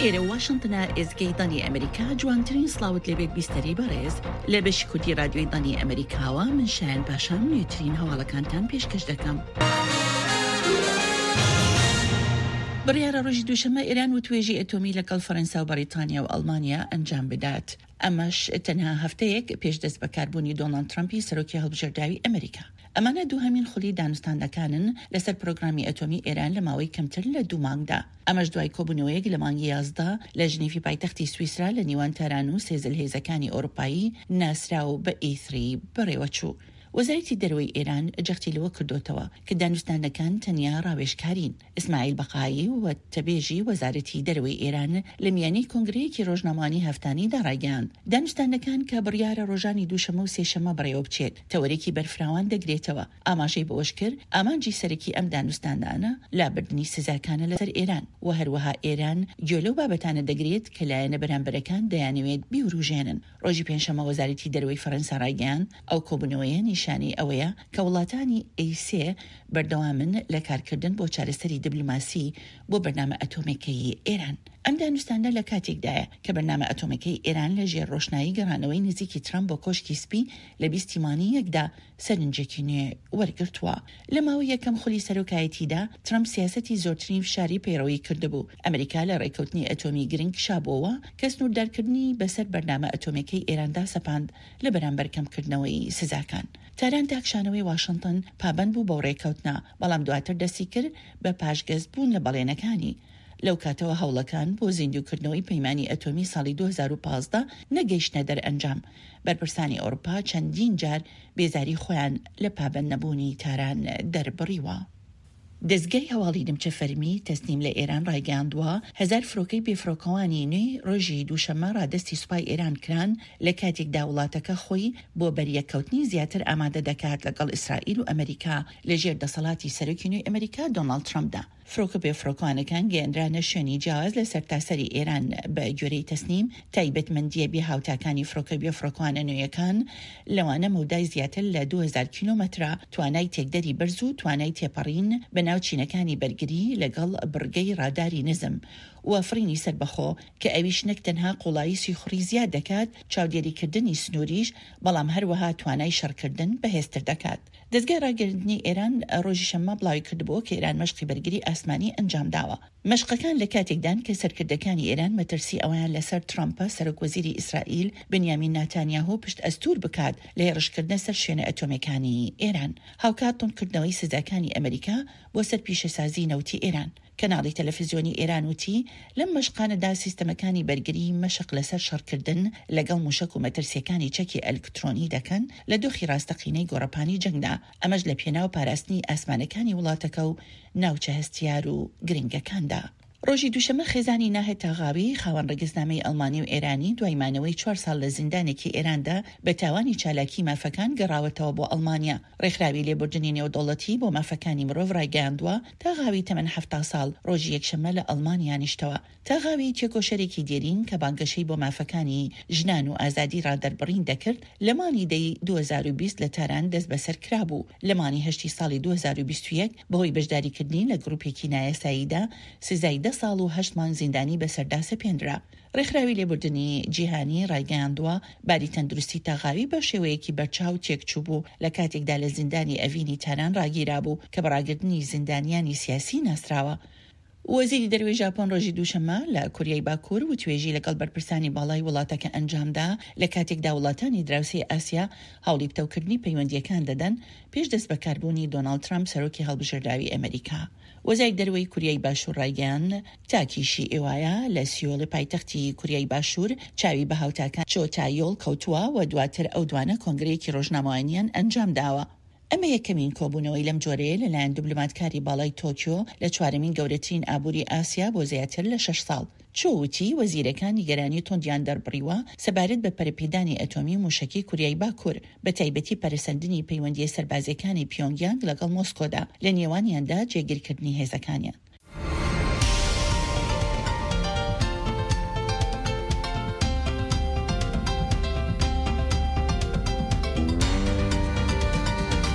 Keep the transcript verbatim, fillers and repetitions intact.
ئێرە واشنتنە، ئێزگەی دەنگی ئەمریکا. جوانترین سڵاوت لێبێت بیستەری بەڕێز. لە بەشی کوردی رادیۆی دەنگی ئەمریکاوە من شایان پاشام نوێترین هەواڵەکانتان پێشکەش دەکەم. بڕیارە ڕۆژی دووشەممە ئێران وتوێژی ئەتۆمی لەگەڵ فەرەنسا و بەریتانیا و ئەڵمانیا ئەنجام بدات، ئەمەش تەنها هەفتەیەک پێش دەستبەکاربوونی دۆناڵد ترەمپی سەرۆکی هەڵبژێردراوی ئەمریکا. ئەمانە دووهەمین خولی دانوستاندەکانن لەسەر پرۆگرامی ئەتۆمی ئێران لە ماوەی کەمتر لە دوو مانگدا، ئەمەش دوای کۆبوونەوەیەک لە مانگی یازدە لە ژنیفی پایتەختی سویسرا لە نیوان تاران و سێ زلهێزەکانی ئەوروپایی ناسراو بە ئی ثری بەڕێوەچوو. وەزارەتی دەرەوەی ئێران جەختی لەوە کردۆتەوە کە دانوستاندنەکان تەنیا ڕاوێژکارین. ئیسماعیل بەقایی، وتەبێژی وەزارەتی دەرەوەی ئێران لە میانەی کۆنگرەیەکی ڕۆژنامەوانی هەفتانەیدا ڕایگەیاند، دانوستاندنەکان کە بڕیارە ڕۆژانی دووشەممە و سێشەممە بەڕێوەبچێت، تەوەرێکی بەرفراوان دەگرێتەوە. ئاماژەی بەوەشکرد، ئامانجی سەرەکی ئەم دانوستاندانە لابردنی سزاکانە لەسەر ئێران و هەروەها ئێران گوێ لەو بابەتانە دەگرێت کە لایەنە بەرامبەرەکان دەیانەوێت بیوروژێنن. ڕۆژی پێنجشەممە وەزارەتی دەرەوەی فەرەنسا ڕایگەیاند، ئەو کۆبوونەوەیە نیشانەی ئەوەیە کە وڵاتانی ئەی سێ بەردەوامن لە کارکردن بۆ چارەسەری دیبلۆماسی بۆ بەرنامە ئەتۆمێکەی ئێران. ئەم دانوستاندە لە کاتێکدایە کە بەرنامە ئەتۆمەکەی ئێران لە ژێر ڕۆشنایی گەڕانەوەی نزیکی ترەمپ بۆ کۆشکی سپی لە بیست ی مانگی یەکدا سەرنجێکی نوێ وەرگرتووە. لە ماوەی یەکەم خولی سەرۆکایەتیدا، ترەمپ سیاسەتی زۆرترین فشاری پەیڕەوی کردبوو. ئەمریکا لە ڕێککەوتنی ئەتۆمی گرنگ کشابووەوە کە سنووردارکردنی بەسەر بەرنامە ئەتۆمیەکەی ئێراندا سەپاند لە بەرامبەر کەمکردنەوەی سزاکان. تاران تا کشانەوەی واشنتن پابەند بوو بەو ڕێککەوتنە، بەڵام دواتر دەستی کرد بە پاشگەزبوون لە بەڵێنەکانی. لەو کاتەوە هەوڵەکان بۆ زیندووکردنەوەی پەیمانی ئەتۆمی ساڵی دوو هەزار و پازدە نەگەیشتنە دەرئەنجام. بەرپرسانی ئەوروپا چەندین جار بێزاری خۆیان لە پابەندنەبوونی تاران دەربڕیوە. دەزگای هەواڵی نیمچە فەرمی تەسنیم لە ئێران ڕایگەیاندووە، هەزار فرۆکەی بێفرۆکەوانی نوێی ڕۆژی دووشەممە ڕادەستی سوپای ئێران کران، لە کاتێکدا وڵاتەکە خۆی بۆ بەریەککەوتنی زیاتر ئامادە دەکات لەگەڵ ئیسرائیل و ئەمریکا لەژێر دەسەڵاتی سەرۆکی نوێی ئەمریکا دۆناڵد ترەمپدا. فرۆکە بێفڕۆکەوانەکان گەیەنرانە شوێنی جیاواز لە سەرتاسەری ئێران. بە گوێرەی تەسنیم، تایبەتمەندییە بێهاوتاکانی فرۆکە بێفڕۆکەوانە نوێیەکان لەوانە مەودای زیاتر لە دوو هەزار کیلۆمەترە، توانای تێکدەری بەرز و توانای تێپەڕین بە ناو چینەکانی بەرگری لەگەڵ بڕگەی ڕاداری نزم و فڕینی سەربەخۆ، کە ئەویش نەک تەنها قوڵایی سیخوڕی زیاد دەکات، چاودێریکردنی سنووریش، بەڵام هەروەها توانای شەڕکردن بەهێزتر دەکات. دەزگای ڕاگەیاندنی ئێران ڕۆژی شەممە بڵاویکردبووە کە ئێران مەشقی بەرگری ئاسمانی ئەنجامداوە. مەشقەکان لە کاتێکدان کە سەرکردەکانی ئێران مەترسی ئەوەیان لەسەر ترەمپە سەرۆک وەزیری ئیسرائیل بنیامین ناتانیاهۆ پشت ئەستوور بکات لە هێڕشکردنە سەر شوێنە ئەتۆمیەکانی ئێران هاوکات توندکردنەوەی سزاکانی ئەمریکا بۆ سەر پیشەسازی نەوتی ئێران. کەناڵی تەلەفزیۆنی ئێران وتی، لەم مەشقانەدا سیستەمەکانی بەرگری مەشق لەسەر شەڕکردن لەگەڵ موشەک و مەترسییەکانی چەکی ئەلکترۆنی دەکەن لە دۆخی ڕاستەقینەی گۆڕەپانی جەنگدا، ئەمەش لە پێناو پاراستنی ئاسمانەکانی وڵاتەکە و ناوچە هەستیار و گرنگەکاندا. ڕۆژی دووشەممە خێزانی ناهد تاغاوی، خاوەن ڕەگەزنامەی ئەڵمانی و ئێرانی، دوای مانەوەی چوار ساڵ لە زیندانێکی ئێراندا بە تاوانی چالاکی مافەکان گەڕاوەتەوە بۆ ئەڵمانیا. ڕێکخراوی لێبوردنی نێودەوڵەتی بۆ مافەکانی مرۆڤ ڕایگەیاندووە، تاغاوی تەمەن حەفتا ساڵ، ڕۆژی یەکشەممە لە ئەڵمانیا نیشتەوە. تاغاوی تێکۆشەرێکی دێرین کە بانگەشەی بۆ مافەکانی ژنان و ئازادی ڕادەربڕین دەکرد، لە مانگی دەی دوو هەزار و بیست لە تاران دەستبەسەر کرابوو. لە مانگی هەشتی ساڵی دوو هەزار و بیست و یەک بەهۆی بەشداریکردنی لە گروپێکی نایاساییدا سزای دە ساڵ و هەشت مانگ زیندانی بەسەردا سەپێنرا. ڕێکخراوی لێبوردنی جیهانی ڕایگەیاندووە، باری تەندروستی تاغاوی بە شێوەیەکی بەرچاو تێکچووبوو لە کاتێکدا لە زیندانی ئەڤینی تاران ڕاگیرابوو کە بە ڕاگرتنی زیندانیانی سیاسی ناسراوە. وەزیری دەرەوەی ژاپۆن ڕۆژی دووشەممە لە کۆریای باکوور وتوێژی لەگەڵ بەرپرسانی باڵای وڵاتەکە ئەنجامدا، لە کاتێکدا وڵاتانی دراوسێی ئاسیا هەوڵی پتەوکردنی پەیوەندییەکان دەدەن پێش دەستبەکاربوونی دۆناڵد ترەمپ سەرۆکی هەڵبژێردراوی ئەمەریکا. وەزای دەرەوەی کوریای باشوور ڕایگەیاند، تاکیشی ئیوایا لە سیۆلی پایتەختی کوریای باشوور چاوی بە هاوتاکانی چۆ تایۆل کەوتووە و دواتر ئەو دوانە کۆنگرەیەکی ڕۆژنامەوانیان ئەنجامداوە. ئەمە یەکەمین کۆبوونەوەی لەم جۆرەیە لەلایەن دبلۆماتکاری باڵای تۆکیۆ لە چوارەمین گەورەترین ئابووری ئاسیا بۆ زیاتر لە شەش ساڵ. چۆ وتی، وەزیرەکان نیگەرانی توندیان دەربڕیوە سەبارەت بە پەرەپێدانی ئەتۆمی و موشەکی کوریای باکوور، بەتایبەتی پەرەسەندنی پەیوەندییە سەربازییەکانی پیۆنگیانگ لەگەڵ مۆسکۆدا، لە نێوانیاندا جێگیرکردنی هێزەکانیان.